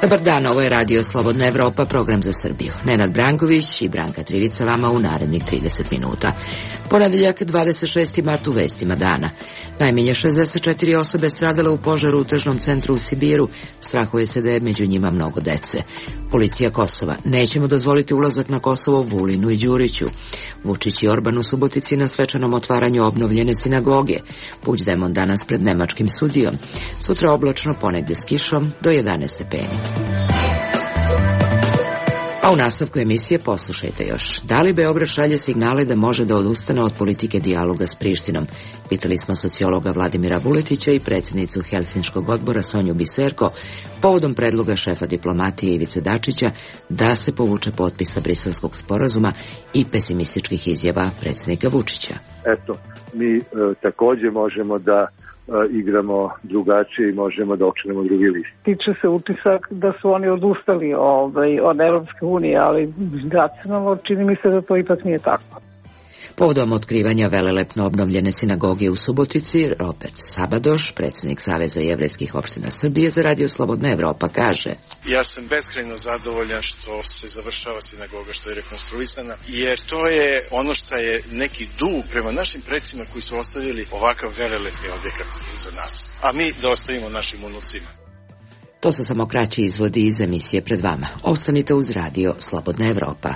Dobar dan, ovo je Radio Slobodna Evropa, program za Srbiju. Nenad Branković i Branka Trivica vama u narednih 30 minuta. Ponedeljak, 26. mart u vestima dana. Najmanje 64 osobe stradale u požaru u tržnom centru u Sibiru. Strahuje se da je među njima mnogo dece. Policija Kosova. Nećemo dozvoliti ulazak na Kosovo Vulinu i Đuriću. Vučić i Orban u Subotici na svečanom otvaranju obnovljene sinagoge. Puigdemont danas pred nemačkim sudijom. Sutra oblačno, ponegde s kišom do 11 stepeni. A u nastavku emisije poslušajte još. Da li Beograd šalje signale da može da odustane od politike dijaloga s Prištinom? Pitali smo sociologa Vladimira Vuletića i predsjednicu Helsinškog odbora Sonju Biserko povodom predloga šefa diplomatije Ivice Dačića da se povuče potpisa Briselskog sporazuma i pesimističkih izjava predsjednika Vučića. Eto, mi također možemo da igramo drugačije i možemo da okrenemo drugi list. Tiče se utisak da su oni odustali od Evropske unije, ali racionalno čini mi se da to ipak nije tako. Povodom otkrivanja velelepno obnovljene sinagoge u Subotici, Robert Sabadoš, predsjednik Saveza jevrejskih opština Srbije za Radio Slobodna Evropa, kaže: Ja sam beskrajno zadovoljan što se završava sinagoga, što je rekonstruisana, jer to je ono što je neki dug prema našim predsima koji su ostavili ovakav velelepni objekat za nas, a mi da ostavimo našim unucima. To su samo kraći izvodi iz emisije pred vama. Ostanite uz Radio Slobodna Evropa.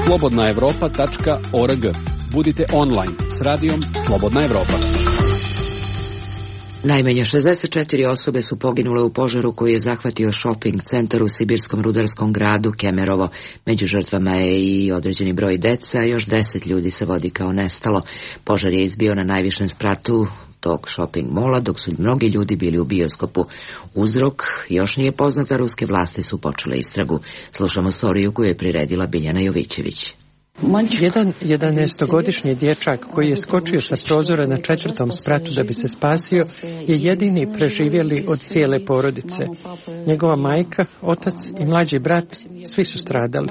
slobodnaevropa.org. Budite online s radijom Slobodna Evropa. Najmanje 64 osobe su poginule u požaru koji je zahvatio shopping centar u sibirskom rudarskom gradu Kemerovo. Među žrtvama je i određeni broj dece, a još 10 ljudi se vodi kao nestalo. Požar je izbio na najvišem spratu tog shopping mola, dok su mnogi ljudi bili u bioskopu. Uzrok još nije poznata, ruske vlasti su počele istragu. Slušamo storiju koju je priredila Biljana Jovićević. Jedan 11-godišnji dječak koji je skočio sa prozora na 4. spratu da bi se spasio je jedini preživjeli od cijele porodice. Njegova majka, otac i mlađi brat, svi su stradali.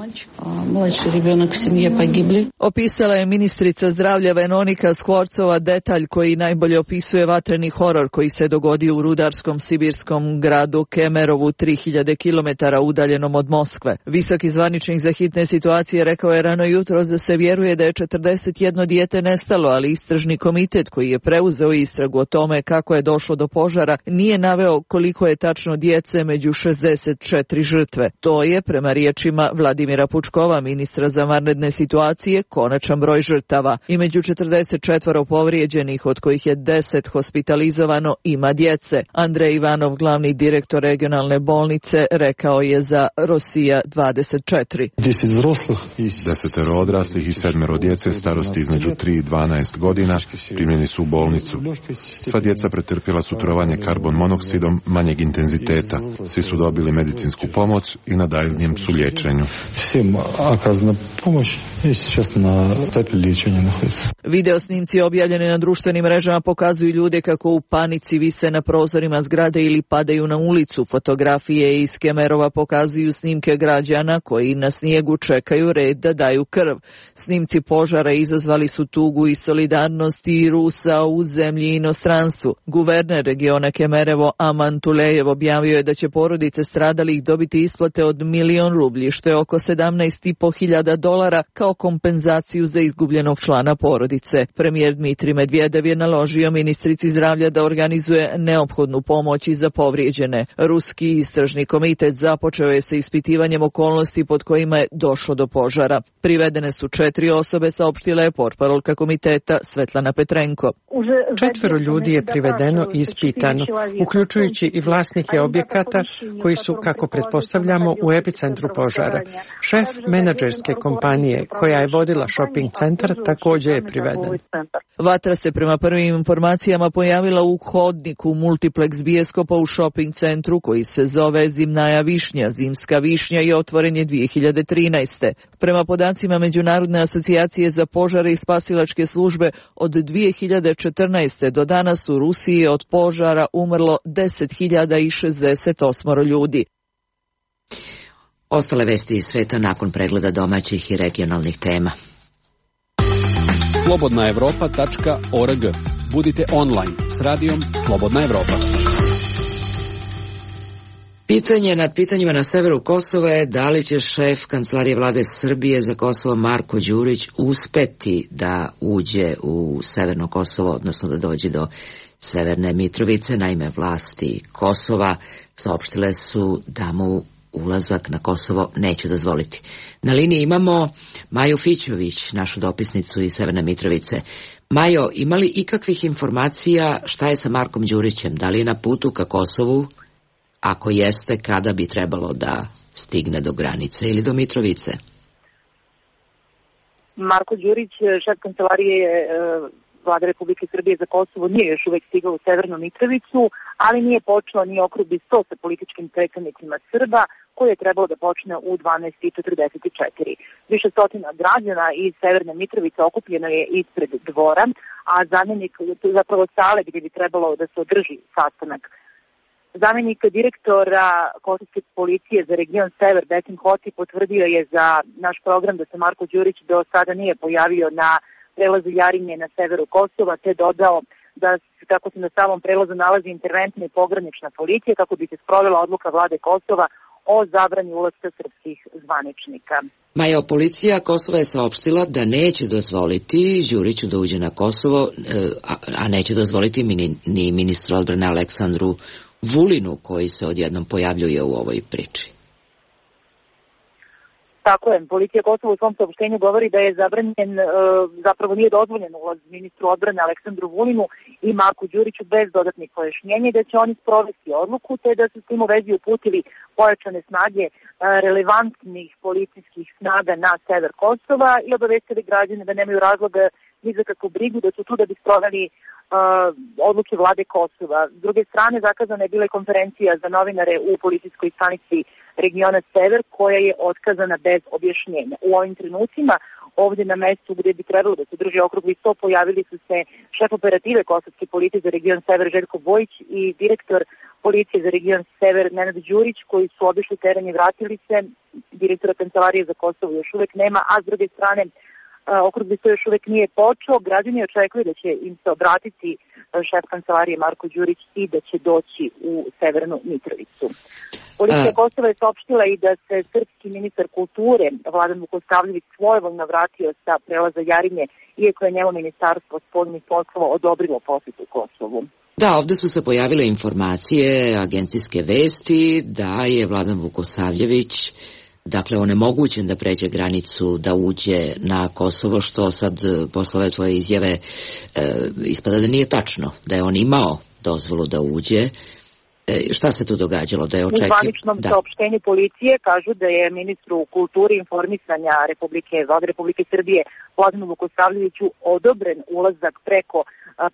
Opisala je ministrica zdravlja Veronika Skvorcova detalj koji najbolje opisuje vatreni horor koji se dogodio u rudarskom sibirskom gradu Kemerovu, 3000 km udaljenom od Moskve. Visoki zvaničnik za hitne situacije rekao je rano jutro da se vjeruje da je 41 dijete nestalo, ali istražni komitet koji je preuzeo istragu o tome kako je došlo do požara nije naveo koliko je tačno djece među 64 žrtve. To je, prema riječima Vladimira Pučkova, ministra za vanredne situacije, konačan broj žrtava. I među 44 povrijeđenih, od kojih je 10 hospitalizovano, ima djece. Andrej Ivanov, glavni direktor regionalne bolnice, rekao je za Rosija 24. 10 odraslih i 7 djece starosti između 3 i 12 godina primljeni su u bolnicu. Sva djeca pretrpjela su trovanje karbon monoksidom manjeg intenziteta. Svi su dobili medicinsku pomoć i na daljnjem su liječenju. Video snimci objavljeni na društvenim mrežama pokazuju ljude kako u panici vise na prozorima zgrade ili padaju na ulicu. Fotografije iz Kemerova pokazuju snimke građana koji na snijegu čekaju red da daju krv. Snimci požara izazvali su tugu i solidarnost i Rusa u zemlji i inostranstvu. Guverner regiona Kemerevo Aman Tulejev objavio je da će porodice stradalih dobiti isplate od 1.000.000 rublji, što je oko $17.500 kao kompenzaciju za izgubljenog člana porodice. Premijer Dmitrij Medvedev je naložio ministrici zdravlja da organizuje neophodnu pomoć i za povrijeđene. Ruski istražni komitet započeo je sa ispitivanjem okolnosti pod kojima je došlo do požara. Privedene su 4 osobe, saopštila je portparolka komiteta Svetlana Petrenko. 4 ljudi je privedeno i ispitano, uključujući i vlasnike objekata koji su, kako pretpostavljamo, u epicentru požara. Šef menadžerske kompanije koja je vodila shopping centar također je priveden. Vatra se prema prvim informacijama pojavila u hodniku multiplex bioskopa u shopping centru koji se zove Zimnaja višnja, zimska višnja, i otvoren je 2013. Prema podacima Međunarodne asocijacije za požare i spasilačke službe, od 2014. do danas u Rusiji je od požara umrlo 10.068 ljudi. Ostale vesti iz sveta nakon pregleda domaćih i regionalnih tema. slobodnaevropa.org. Budite online s radijom Slobodna Evropa. Pitanje nad pitanjima na severu Kosova je da li će šef Kancelarije vlade Srbije za Kosovo Marko Đurić uspeti da uđe u severno Kosovo, odnosno da dođe do Severne Mitrovice. Naime, vlasti Kosova saopštile su da mu ulazak na Kosovo neće dozvoliti. Na liniji imamo Maju Fićović, našu dopisnicu iz Severne Mitrovice. Majo, ima li ikakvih informacija šta je sa Markom Đurićem? Da li je na putu ka Kosovu? Ako jeste, kada bi trebalo da stigne do granice ili do Mitrovice? Marko Đurić, šef Kancelarije Vlade Republike Srbije za Kosovo, nije još uvek stigao u Severnu Mitrovicu, ali nije počeo ni okrugli sto sa političkim predstavnicima Srba, koji je trebalo da počne u 12:44. Više stotina građana iz Severne Mitrovice okupljeno je ispred dvora, a zamjenik, zapravo sale gdje bi trebalo da se održi sastanak. Zamjenik direktora kosovske policije za region Sever, Besim Hoti, potvrdio je za naš program da se Marko Đurić do sada nije pojavio na prelazu Jarinje na severu Kosova, te dodao da kako se na samom prelazu nalazi interventna i pogranična policija kako bi se sprovela odluka vlade Kosova o zabrani ulaska srpskih zvaničnika. Majo, policija Kosova je saopštila da neće dozvoliti Đuriću da uđe na Kosovo, a neće dozvoliti ni ministru odbrane Aleksandru Vulinu, koji se odjednom pojavljuje u ovoj priči. Tako je, policija Kosova u svom saopštenju govori da je zabranjen, zapravo nije dozvoljen ulaz ministru odbrane Aleksandru Vulinu i Marku Đuriću bez dodatnih pojašnjenja i da će oni sprovesti odluku, te da su s tim u vezi uputili pojačane snage relevantnih policijskih snaga na sever Kosova i obavestili građane da nemaju razloga ni za kakvu brigu, da su tu da bi sproveli odluke vlade Kosova. S druge strane, zakazana je bila konferencija za novinare u policijskoj stanici regiona Sever, koja je otkazana bez objašnjenja. U ovim trenucima, ovdje na mestu gdje bi trebalo da se drži okrugli sto, pojavili su se šef operative kosovske policije za region Sever Željko Bojić i direktor policije za region Sever Nenad Đurić, koji su obišli teren i vratili se. Direktora Kancelarije za Kosovo još uvek nema, a s druge strane okrugli sto još uvek nije počeo. Građani očekuju da će im se obratiti šef Kancelarije Marko Đurić i da će doći u Severnu Mitrovicu. Policija Kosova je saopštila i da se srpski ministar kulture Vladan Vukosavljević svojevoljno vratio sa prelaza Jarinje, iako je njemu ministarstvo spoljnih poslova odobrilo posjetu Kosovu. Da, ovdje su se pojavile informacije, agencijske vesti, da je Vladan Vukosavljević onemogućen da pređe granicu, da uđe na Kosovo, što sad posle ove tvoje izjave ispada da nije tačno, da je on imao dozvolu da uđe. Šta se tu događalo? Da je U zvaničnom saopštenju policije kažu da je ministru kulture i informisanja Vlade Republike Srbije Vladanu Vukosavljeviću odobren ulazak preko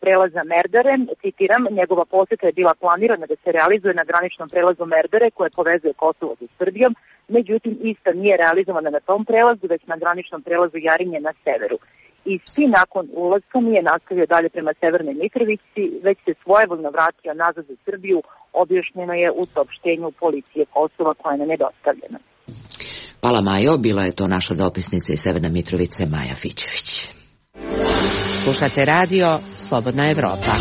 prelaza Merdare. Citiram, njegova poseta je bila planirana da se realizuje na graničnom prelazu Merdare koje povezuje Kosovo sa Srbijom, međutim ista nije realizovana na tom prelazu, već na graničnom prelazu Jarinje na severu. Isti nakon ulaska nije nastavio dalje prema Severnoj Mitrovici, već se svojevoljno vratio nazad za Srbiju, objašnjeno je u saopštenju policije Kosova koja nam je dostavljena. Hvala Majo, bila je to naša dopisnica iz Severne Mitrovice Maja Fićević. Slušate radio Slobodna Evropa.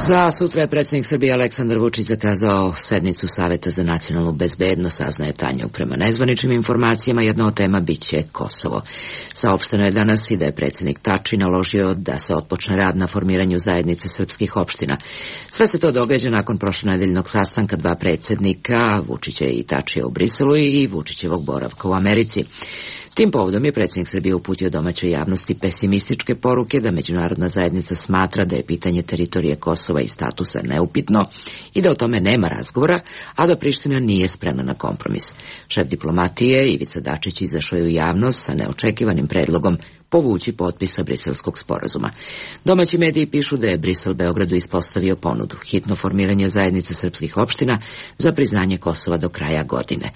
Za sutra je predsjednik Srbije Aleksandar Vučić zakazao sednicu Saveta za nacionalnu bezbednost, saznaje Tanjug. Prema nezvaničnim informacijama, jedna od tema biće Kosovo. Saopšteno je danas i da je predsjednik Tači naložio da se otpočne rad na formiranju zajednice srpskih opština. Sve se to događa nakon prošlonedeljnog sastanka dva predsjednika, Vučića i Tačija u Briselu i Vučićevog boravka u Americi. Tim povodom je predsjednik Srbije uputio domaćoj javnosti pesimističke poruke da međunarodna zajednica smatra da je pitanje teritorije Kosova i statusa neupitno i da o tome nema razgovora, a da Priština nije spremna na kompromis. Šef diplomatije Ivica Dačić izašao je u javnost sa neočekivanim predlogom povući potpisa briselskog sporazuma. Domaći mediji pišu da je Brisel Beogradu ispostavio ponudu hitno formiranje zajednice srpskih opština za priznanje Kosova do kraja godine.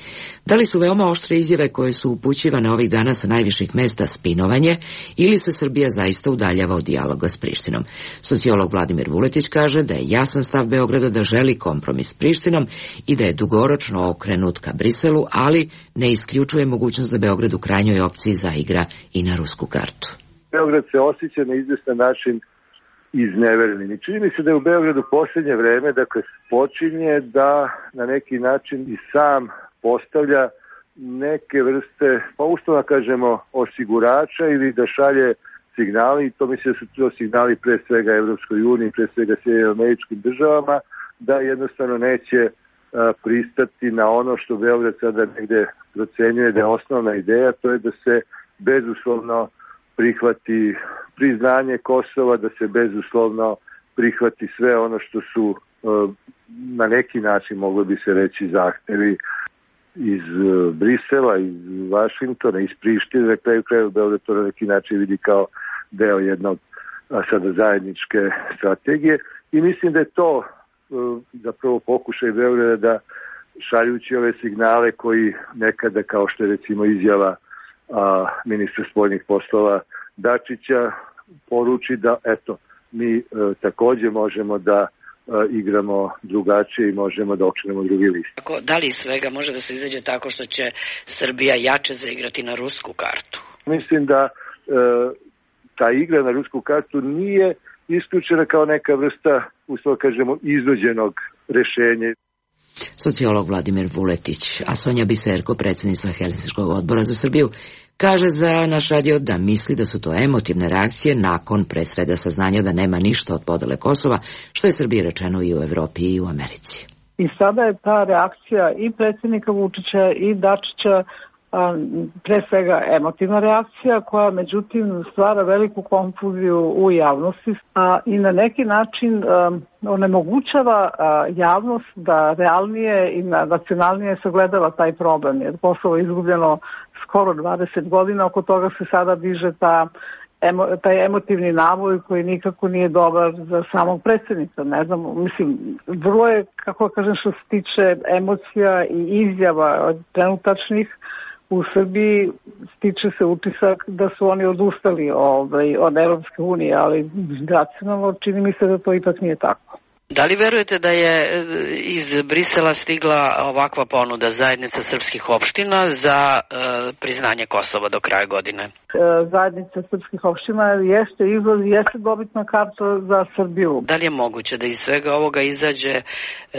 Da li su veoma oštre izjave koje su upućivane ovih dana sa najviših mesta spinovanje ili se Srbija zaista udaljava od dijaloga s Prištinom? Sociolog Vladimir Vuletić kaže da je jasan stav Beograda da želi kompromis s Prištinom i da je dugoročno okrenut ka Briselu, ali ne isključuje mogućnost da Beograd u krajnjoj opciji zaigra i na rusku kartu. Beograd se osjeća na izvestan način iznevereni. I čini mi se da je u Beogradu posljednje vreme, dakle, počinje da na neki način i sam postavlja neke vrste, pa uslovno kažemo, osigurača ili da šalje signali, i to mislim da su to signali pre svega Evropskoj uniji, pre svega Sjedinjenim Američkim Državama, da jednostavno neće pristati na ono što Beograd sada negde procenjuje da je osnovna ideja, to je da se bezuslovno prihvati priznanje Kosova, da se bezuslovno prihvati sve ono što su na neki način, moglo bi se reći, zahtevi iz Brisela, iz Vašingtona, iz Prištine, na kraju krajeva Beograd to na neki način vidi kao deo jednog sada zajedničke strategije, i mislim da je to zapravo pokušaj Beograda da, šaljući ove signale koji nekada, kao što je recimo izjava ministra spoljnih poslova Dačića, poruči da eto, mi takođe možemo da igramo drugačije i možemo da okrenemo drugi list. Da li svega može da se izađe tako što će Srbija jače zaigrati na rusku kartu? Mislim da ta igra na rusku kartu nije isključena kao neka vrsta, uslovno kažemo, iznuđenog rešenja. Sociolog Vladimir Vuletić, a Sonja Biserko, predsjednica Helsinškog odbora za Srbiju, kaže za naš radio da misli da su to emotivne reakcije nakon pre svega saznanja da nema ništa od podele Kosova, što je Srbiji rečeno i u Evropi i u Americi. I sada je ta reakcija i predsjednika Vučića i Dačića pre svega emotivna reakcija koja međutim stvara veliku konfuziju u javnosti i na neki način onemogućava javnost da realnije i nacionalnije sagledava taj problem, jer Kosovo je izgubljeno skoro 20 godina, oko toga se sada diže taj emotivni naboj koji nikako nije dobar za samog predsjednika. Ne znam, mislim, vrlo je, kako kažem, što se tiče emocija i izjava trenutačnih, u Srbiji stiče se utisak da su oni odustali od Evropske unije, ali racionalno čini mi se da to ipak nije tako. Da li verujete da je iz Brisela stigla ovakva ponuda zajednica srpskih opština za priznanje Kosova do kraja godine? Zajednica srpskih opština jeste dobitna karta za Srbiju. Da li je moguće da iz svega ovoga izađe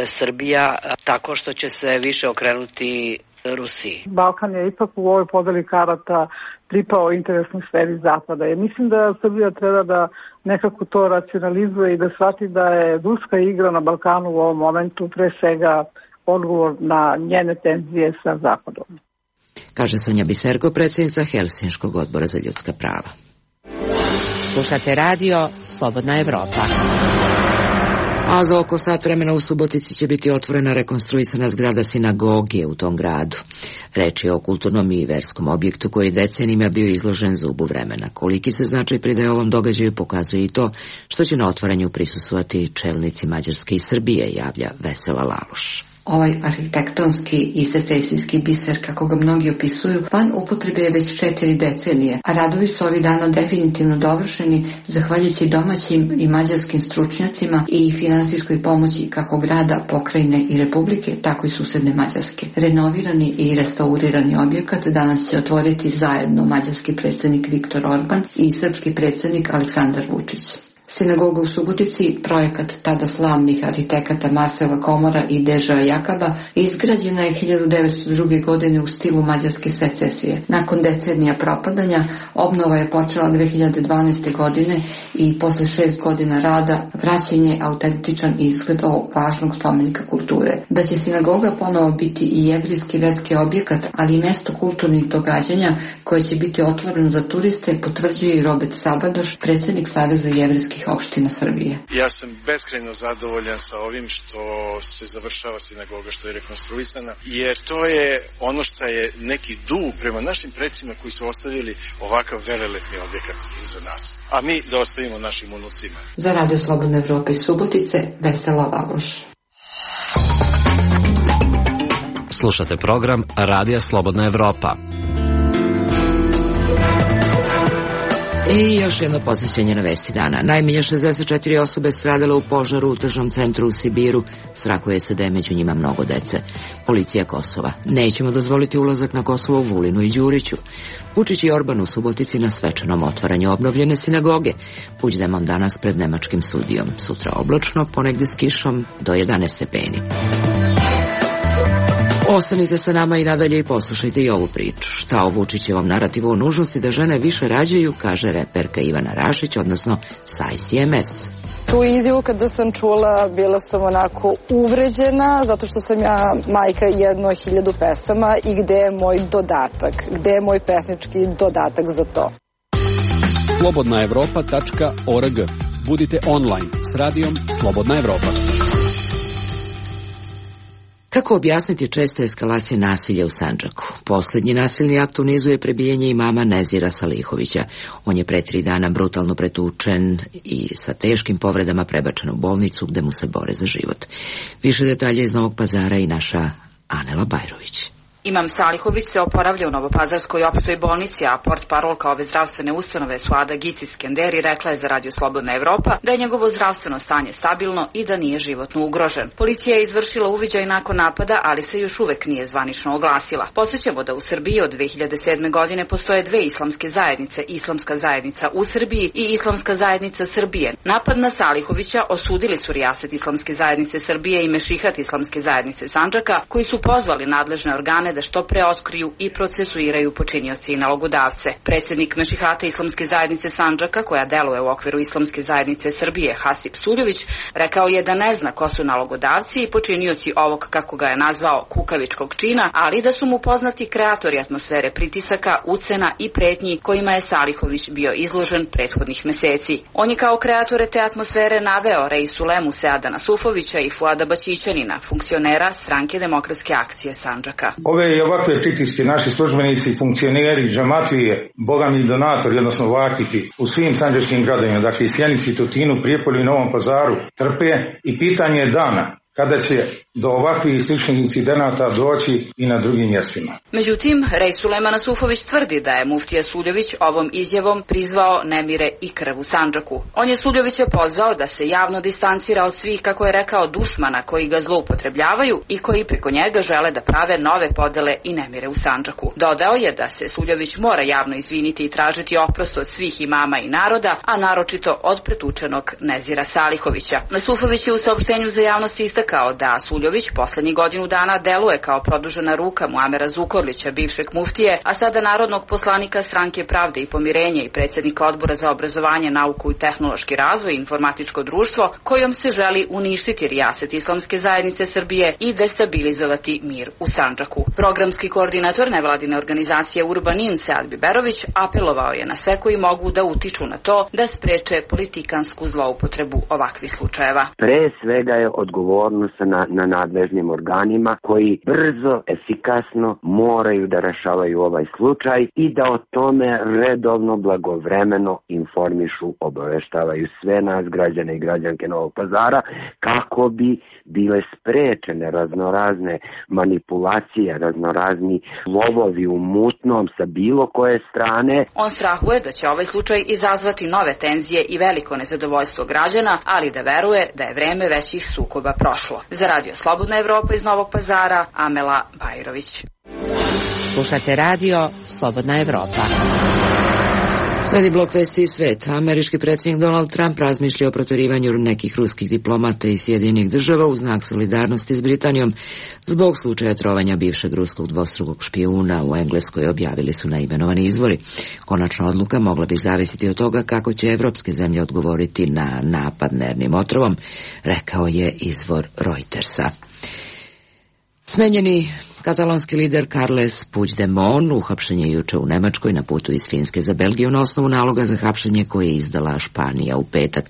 Srbija tako što će se više okrenuti Rusiji? Balkan je ipak u ovoj podeli karata pripao interesnoj sferi Zapada. Mislim da Srbija treba da nekako to racionalizuje i da shvati da je ruska igra na Balkanu u ovom momentu pre svega odgovor na njene tenzije sa Zapadom. Kaže Sonja Biserko, predsjednica Helsinškog odbora za ljudska prava. Slušate radio Slobodna Evropa. A za oko sat vremena u Subotici će biti otvorena rekonstruisana zgrada sinagoge u tom gradu. Reč je o kulturnom i verskom objektu koji decenijima bio izložen zubu vremena. Koliki se značaj pridaje ovom događaju pokazuje i to što će na otvaranju prisustvovati čelnici Mađarske i Srbije, javlja Vesela Laluš. Ovaj arhitektonski i secesijski biser, kako ga mnogi opisuju, van upotrebe je već 4 decenije, a radovi su ovih dana definitivno dovršeni zahvaljujući domaćim i mađarskim stručnjacima i finansijskoj pomoći kako grada, pokrajine i republike, tako i susedne Mađarske. Renovirani i restaurirani objekat danas će otvoriti zajedno mađarski predsjednik Viktor Orban i srpski predsjednik Aleksandar Vučić. Sinagoga u Subotici, projekat tada slavnih arhitekata Marcela Komora i Deža Jakaba, izgrađena je 1902. godine u stilu mađarske secesije. Nakon decenija propadanja, obnova je počela 2012. godine i posle 6 godina rada vraćen je autentičan izgled ovog važnog spomenika kulture. Da će sinagoga ponovo biti i jevrijski verski objekat, ali i mesto kulturnih događanja koje će biti otvoreno za turiste, potvrđuje i Robert Sabadoš, predsjednik Saveza jevrijskih opština Srbije. Ja sam beskrajno zadovoljan sa ovim što se završava sinagoga, što je rekonstruisana, jer to je ono što je neki dug prema našim predsima koji su ostavili ovakav velelepni objekat za nas, a mi da ostavimo našim unucima. Za Radio Slobodne Evrope iz Subotice, Vesela Laluš. Slušate program Radija Slobodna Evropa. I još jedno posjećenje na vesti dana. Najmanje 64 osobe stradalo u požaru u tržnom centru u Sibiru. Strahuje se da je među njima mnogo dece. Policija Kosova. Nećemo dozvoliti ulazak na Kosovo u Vulinu i Đuriću. Vučić i Orban u Subotici na svečanom otvaranju obnovljene sinagoge. Puigdemont danas pred nemačkim sudijom. Sutra oblačno, ponegde s kišom do 11 stepeni. Ostanite sa nama i nadalje i poslušajte i ovu priču. Šta o Vučićevom narativu o nužnosti da žene više rađaju, kaže reperka Ivana Rašić, odnosno Sajs MS. Tu izjavu kada sam čula, bila sam onako uvređena, zato što sam ja majka 1000 pesama i gde je moj dodatak, gde je moj pesnički dodatak za to. Slobodnaevropa.org. Budite online s radijom Slobodna Evropa. Kako objasniti česte eskalacije nasilja u Sandžaku? Posljednji nasilni akt u nizu je prebijanje imama Nezira Salihovića. On je pre 3 dana brutalno pretučen i sa teškim povredama prebačen u bolnicu gde mu se bore za život. Više detalje iz Novog Pazara i naša Anela Bajrović. Imam Salihović se oporavlja u Novopazarskoj opštoj bolnici, a portparolka ove zdravstvene ustanove Suada Gicis-Kenderi rekla je za Radio Slobodna Evropa da je njegovo zdravstveno stanje stabilno i da nije životno ugrožen. Policija je izvršila uviđaj nakon napada, ali se još uvek nije zvanično oglasila. Podsjećamo da u Srbiji od 2007. godine postoje 2 islamske zajednice, Islamska zajednica u Srbiji i Islamska zajednica Srbije. Napad na Salihovića osudili su Rijaset Islamske zajednice Srbije i Mešihat Islamske zajednice Sandžaka, koji su pozvali nadležne organe da što pre otkriju i procesuiraju počinioci i nalogodavce. Predsjednik Mešihata Islamske zajednice Sandžaka, koja deluje u okviru Islamske zajednice Srbije, Hasip Suljović, rekao je da ne zna ko su nalogodavci i počinioci ovog, kako ga je nazvao, kukavičkog čina, ali da su mu poznati kreatori atmosfere pritisaka, ucena i pretnji kojima je Salihović bio izložen prethodnih meseci. On je kao kreatore te atmosfere naveo Reisulemu Seada Nasufovića i Fuada Baćićanina, funkcionera Stranke demokratske akcije Sandžaka. Ove i ovakve pritiske naši službenici, funkcioneri, džamatlije, bogami donatori, odnosno vakifi u svim sandžačkim gradovima, dakle i Sjenici, Tutinu, Prijepolju i Novom Pazaru, trpe i pitanje je dana kada će do ovakvih sličnih incidenata doći i na drugim mjestima. Međutim, Reisulema Nasufović tvrdi da je muftija Suljović ovom izjavom prizvao nemire i krv u Sandžaku. On je Suljovića pozvao da se javno distancira od svih, kako je rekao, dusmana koji ga zloupotrebljavaju i koji preko njega žele da prave nove podele i nemire u Sandžaku. Dodao je da se Suljović mora javno izviniti i tražiti oprost od svih imama i naroda, a naročito od pretučenog Nezira Salihovića. Nasufović je u saopštenju za javnost istakao da Suljović poslednjih godinu dana deluje kao produžena ruka Muamera Zukorlića, bivšeg muftije, a sada narodnog poslanika Stranke pravde i pomirenja i predsjednika Odbora za obrazovanje, nauku i tehnološki razvoj i informatičko društvo, kojom se želi uništiti Rijaset Islamske zajednice Srbije i destabilizovati mir u Sandžaku. Programski koordinator nevladine organizacije Urbanin Sead Biberović apelovao je na sve koji mogu da utiču na to da spreče politikansku zloupotrebu ovakvih slučajeva. Pre svega je odgovornost na nadležnim organima koji brzo, efikasno moraju da rešavaju ovaj slučaj i da o tome redovno, blagovremeno informišu, obaveštavaju sve nas, građane i građanke Novog Pazara, kako bi bile sprečene raznorazne manipulacije, raznorazni lovovi u mutnom sa bilo koje strane. On strahuje da će ovaj slučaj izazvati nove tenzije i veliko nezadovoljstvo građana, ali da veruje da je vreme većih sukoba prošlo. Za Radio Slobodna Evropa iz Novog Pazara, Amela Bajrović. Slušate Radio Slobodna Evropa. Sledi blok vesti i svet. Američki predsjednik Donald Trump razmišlja o proterivanju nekih ruskih diplomata iz Sjedinjenih država u znak solidarnosti s Britanijom zbog slučaja trovanja bivšeg ruskog dvostrukog špijuna u Engleskoj, objavili su neimenovani izvori. Konačna odluka mogla bi zavisiti od toga kako će evropske zemlje odgovoriti na napad nervnim otrovom, rekao je izvor Reutersa. Smenjeni katalonski lider Carles Puigdemont uhapšen je juče u Nemačkoj na putu iz Finske za Belgiju na osnovu naloga za hapšenje koje je izdala Španija u petak.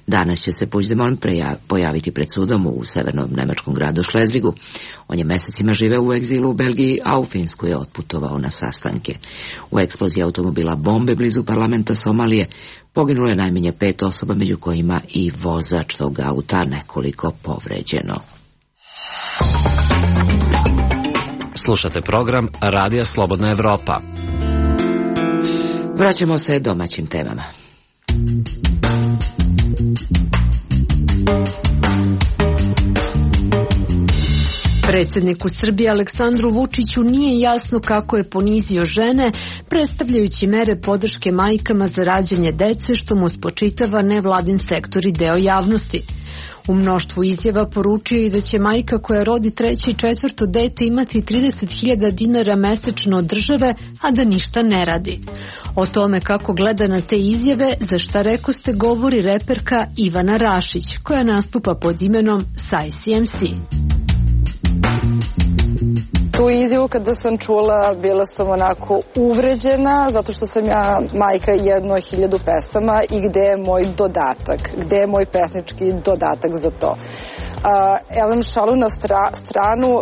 Danas će se Puigdemont pojaviti pred sudom u severnom nemačkom gradu Šlezvigu. On je mesecima živeo u egzilu u Belgiji, a u Finsku je otputovao na sastanke. U eksploziji automobila bombe blizu parlamenta Somalije poginulo je najmanje 5 osoba, među kojima i vozač tog auta, nekoliko povređeno. Slušate program Radija Slobodna Evropa. Vraćamo se domaćim temama. Predsjedniku Srbije Aleksandru Vučiću nije jasno kako je ponizio žene, predstavljajući mere podrške majkama za rađanje dece, što mu spočitava nevladin sektor i deo javnosti. U mnoštvu izjava poručio i da će majka koja rodi 3. i 4. dete imati 30.000 dinara mesečno od države, a da ništa ne radi. O tome kako gleda na te izjave, za šta rekoste, govori reperka Ivana Rašić, koja nastupa pod imenom Sai CMC. Tu izjavu kada sam čula, bila sam onako uvređena, zato što sam ja majka 1.000 pesama i gde je moj dodatak, gde je moj pesnički dodatak za to. Elem, šalu na stranu,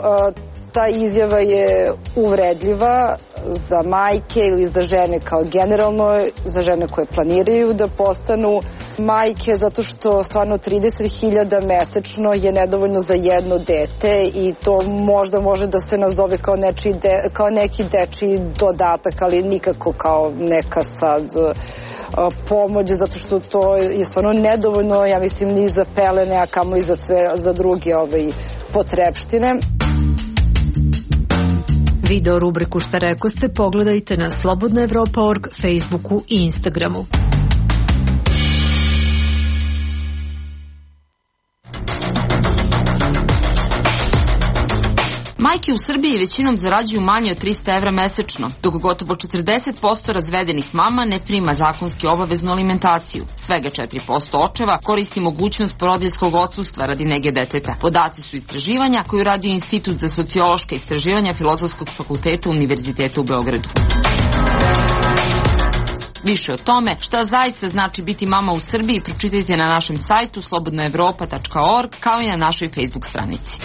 ta izjava je uvredljiva za majke ili za žene kao generalno, za žene koje planiraju da postanu majke, zato što stvarno 30.000 mesečno je nedovoljno za jedno dete i to možda može da se nazove kao neki dečiji dodatak, ali nikako kao neka sad pomoć, zato što to je stvarno nedovoljno, ja mislim, ni za pelene, a kamo i za druge potrepštine. Video rubriku Šta rekoste pogledajte na slobodnaevropa.org, Facebooku i Instagramu. Majke u Srbiji većinom zarađuju manje od 300 evra mesečno, dok gotovo 40% razvedenih mama ne prima zakonski obaveznu alimentaciju. Svega 4% očeva koristi mogućnost porodiljskog odsustva radi nege deteta. Podaci su istraživanja koju radi Institut za sociološka istraživanja Filozofskog fakulteta Univerziteta u Beogradu. Više o tome šta zaista znači biti mama u Srbiji pročitajte na našem sajtu slobodnaevropa.org kao i na našoj Facebook stranici.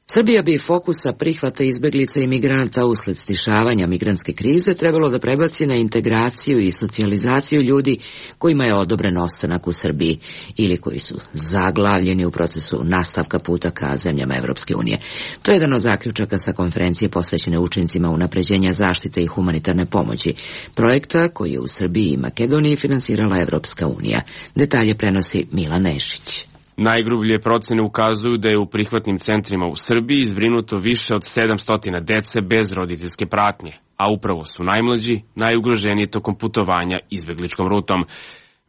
Srbija bi fokusa prihvata izbeglica i migranata usled stišavanja migrantske krize trebalo da prebaci na integraciju i socijalizaciju ljudi kojima je odobren ostanak u Srbiji ili koji su zaglavljeni u procesu nastavka puta ka zemljama Evropske unije. To je jedan od zaključaka sa konferencije posvećene učincima unapređenja zaštite i humanitarne pomoći, projekta koji je u Srbiji i Makedoniji finansirala Evropska unija. Detalje prenosi Milan Nešić. Najgrublje procene ukazuju da je u prihvatnim centrima u Srbiji zbrinuto više od 700 dece bez roditeljske pratnje, a upravo su najmlađi, najugroženiji tokom putovanja izbegličkom rutom.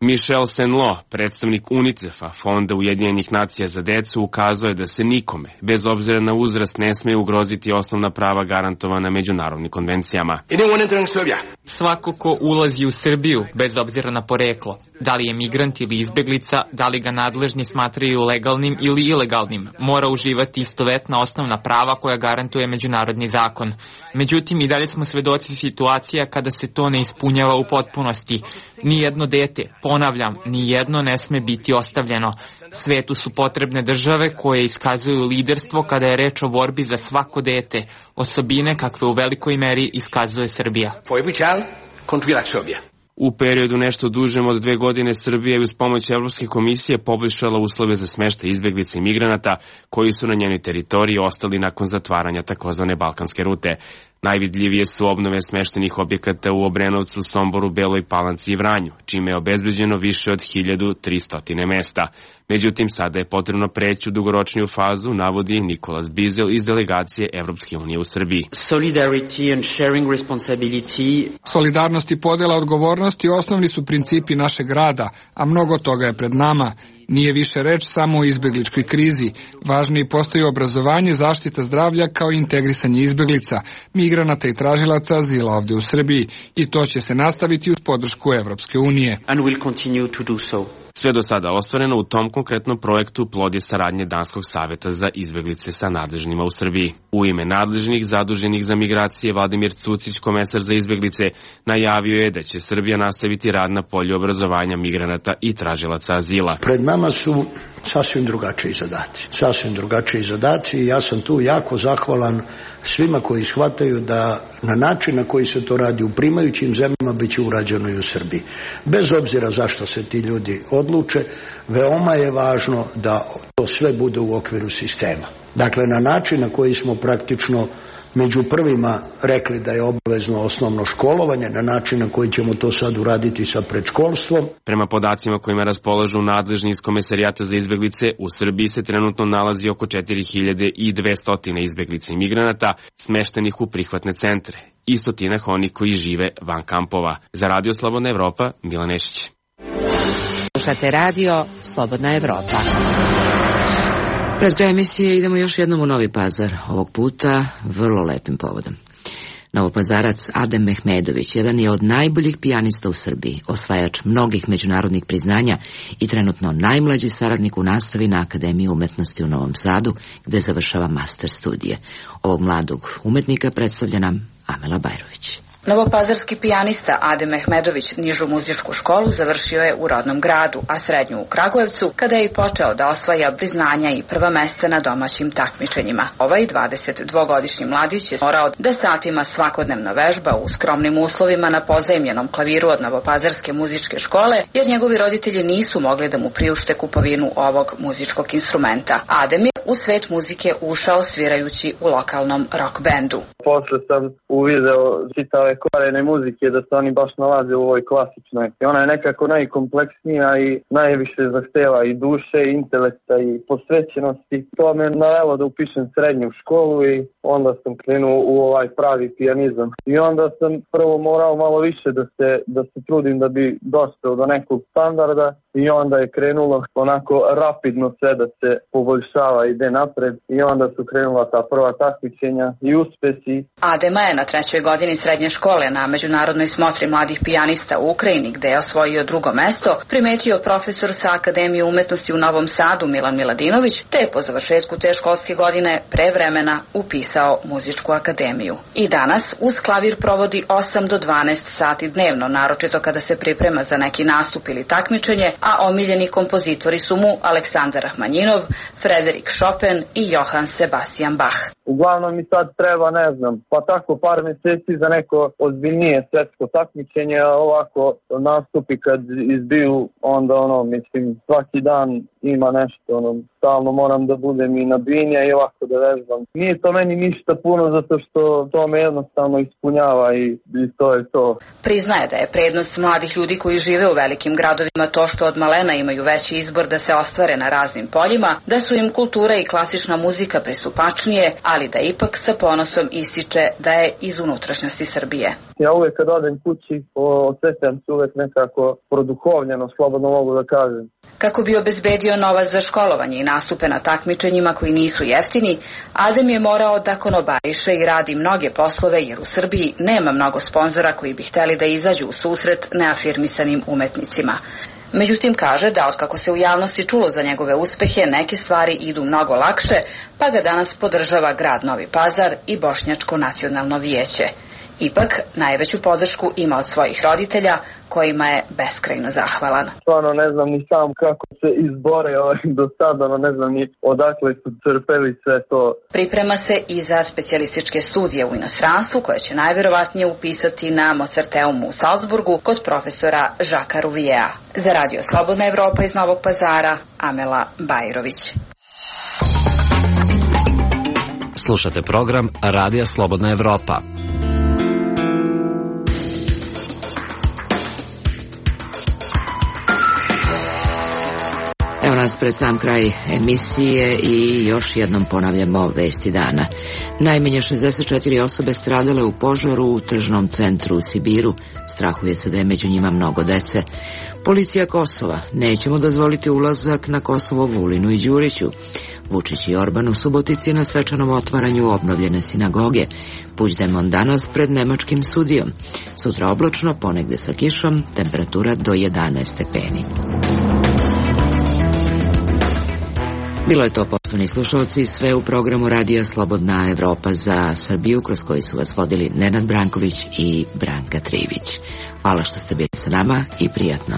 Michel Senlo, predstavnik UNICEF-a, Fonda Ujedinjenih nacija za decu, ukazuje da se nikome, bez obzira na uzrast, ne smije ugroziti osnovna prava garantovana međunarodnim konvencijama. Svako ko ulazi u Srbiju, bez obzira na poreklo, da li je migrant ili izbeglica, da li ga nadležni smatraju legalnim ili ilegalnim, mora uživati istovetna osnovna prava koja garantuje međunarodni zakon. Međutim, i dalje smo svedoci situacija kada se to ne ispunjava u potpunosti. Nijedno dete, ponavljam, nijedno ne sme biti ostavljeno. Svetu su potrebne države koje iskazuju liderstvo kada je reč o borbi za svako dete, osobine kakve u velikoj meri iskazuje Srbija. U periodu nešto dužem od 2 godine Srbija je uz pomoć Evropske komisije poboljšala uslove za smeštaj izbeglica i migranata koji su na njenoj teritoriji ostali nakon zatvaranja takozvane Balkanske rute. Najvidljivije su obnove smeštenih objekata u Obrenovcu, Somboru, Beloj Palanci i Vranju, čime je obezbeđeno više od 1300 mesta. Međutim, sada je potrebno preći u dugoročniju fazu, navodi Nikolas Bizel iz delegacije Evropske unije u Srbiji. Solidarnost i podela odgovornosti osnovni su principi našeg rada, a mnogo toga je pred nama. Nije više reč samo o izbegličkoj krizi. Važnije postaju obrazovanje, zaštita zdravlja kao i integrisanje izbeglica, migranata i tražilaca azila ovde u Srbiji. I to će se nastaviti uz podršku Evropske unije. Sve do sada ostvareno u tom konkretnom projektu plod je saradnje Danskog saveta za izbeglice sa nadležnima u Srbiji. U ime nadležnih zaduženih za migracije Vladimir Cucić, komesar za izbeglice, najavio je da će Srbija nastaviti rad na polju obrazovanja migranata i tražilaca azila. Pred nama su sasvim drugačiji zadaci i ja sam tu jako zahvalan svima koji shvataju da na način na koji se to radi u primajućim zemljama bit će urađeno i u Srbiji. Bez obzira zašto se ti ljudi odluče, veoma je važno da to sve bude u okviru sistema. Dakle, na način na koji smo praktično među prvima rekli da je obavezno osnovno školovanje na način na koji ćemo to sad uraditi sa predškolstvom. Prema podacima kojima raspolažu nadležni iz Komesarijata za izbeglice, u Srbiji se trenutno nalazi oko 4200 izbeglica i migranata smeštenih u prihvatne centre i stotinak onih koji žive van kampova. Za Radio Slobodna Evropa, Milan Nešić. Slušate Radio Slobodna Evropa. Pred kraj emisije idemo još jednom u Novi Pazar, ovog puta vrlo lepim povodom. Novopazarac Adem Mehmedović jedan je od najboljih pijanista u Srbiji, osvajač mnogih međunarodnih priznanja i trenutno najmlađi saradnik u nastavi na Akademiji umetnosti u Novom Sadu, gde završava master studije. Ovog mladog umetnika predstavlja nam Amela Bajrović. Novopazarski pijanista Adem Mehmedović nižu muzičku školu završio je u rodnom gradu, a srednju u Kragujevcu, kada je i počeo da osvaja priznanja i prva mesta na domaćim takmičenjima. Ovaj 22-godišnji mladić je morao da satima svakodnevno vežba u skromnim uslovima na pozajmljenom klaviru od Novopazarske muzičke škole, jer njegovi roditelji nisu mogli da mu priušte kupovinu ovog muzičkog instrumenta. Adem je u svet muzike ušao svirajući u lokalnom rock bendu. Posle sam uvideo čitave korene muzike da se oni baš nalaze u ovoj klasičnoj. I ona je nekako najkompleksnija i najviše zahteva i duše, i intelekta i posvećenosti. To me navelo da upišem srednju školu i onda sam krenuo u ovaj pravi pijanizam. I onda sam prvo morao malo više da se trudim da bi došao do nekog standarda i onda je krenulo onako rapidno sve da se poboljšava, ide napred i onda su krenula ta prva takmičenja i uspesi. Adema je na 3. godini srednje škole na međunarodnoj smotri mladih pijanista u Ukrajini, gde je osvojio 2. mesto, primetio profesor sa Akademije umetnosti u Novom Sadu Milan Miladinović, te je po završetku te školske godine pre vremena upisao muzičku akademiju. I danas uz klavir provodi 8 do 12 sati dnevno, naročito kada se priprema za neki nastup ili takmičenje, a omiljeni kompozitori su mu Aleksandar Rahmanjinov, Frederik Chopin i Johann Sebastian Bach. Uglavnom mi sad treba, ne znam, pa tako par meseci za neko ozbiljnije svetsko takmičenje, a ovako nastupi kad izbiju, onda mislim, svaki dan ima nešto, stalno moram da budem i na bini i ovako da vežbam. Nije to meni ništa puno zato što to me jednostavno ispunjava i to je to. Priznaje da je prednost mladih ljudi koji žive u velikim gradovima to što od malena imaju veći izbor da se ostvare na raznim poljima, da su im kultura i klasična muzika pristupačnije, ali da ipak sa ponosom ističe da je iz unutrašnjosti Srbije. Ja uvek kad odem kući osjećam se uvek nekako produhovljeno, slobodno mogu da kažem. Kako bi obezbedio novac za školovanje i nastupe na takmičenjima koji nisu jeftini, Adem je morao da konobariše i radi mnoge poslove jer u Srbiji nema mnogo sponzora koji bi hteli da izađu u susret neafirmisanim umetnicima. Međutim, kaže da otkako se u javnosti čulo za njegove uspehe, neke stvari idu mnogo lakše, pa ga danas podržava grad Novi Pazar i Bošnjačko nacionalno vijeće. Ipak, najveću podršku ima od svojih roditelja, kojima je beskrajno zahvalan. Stvarno ne znam ni sam kako se izbore do sada, ne znam ni odakle su crpeli sve to. Priprema se i za specijalističke studije u inostranstvu, koje će najverovatnije upisati na Mozarteumu u Salzburgu kod profesora Žaka Ruvijea. Za Radio Slobodna Evropa iz Novog Pazara, Amela Bajrović. Slušate program Radija Slobodna Evropa. Evo nas pred sam kraj emisije i još jednom ponavljamo vesti dana. Najmanje 64 osobe stradale u požaru u tržnom centru u Sibiru. Strahuje se da je među njima mnogo dece. Policija Kosova. Nećemo dozvoliti ulazak na Kosovo Vulinu i Đuriću. Vučić i Orban u Subotici na svečanom otvaranju obnovljene sinagoge. Puigdemont danas pred nemačkim sudijom. Sutra oblačno, ponegde sa kišom, temperatura do 11 stepeni. Bilo je to, poštovani slušalci, sve u programu Radija Slobodna Evropa za Srbiju, kroz koji su vas vodili Nenad Branković i Branka Trivić. Hvala što ste bili sa nama i prijatno.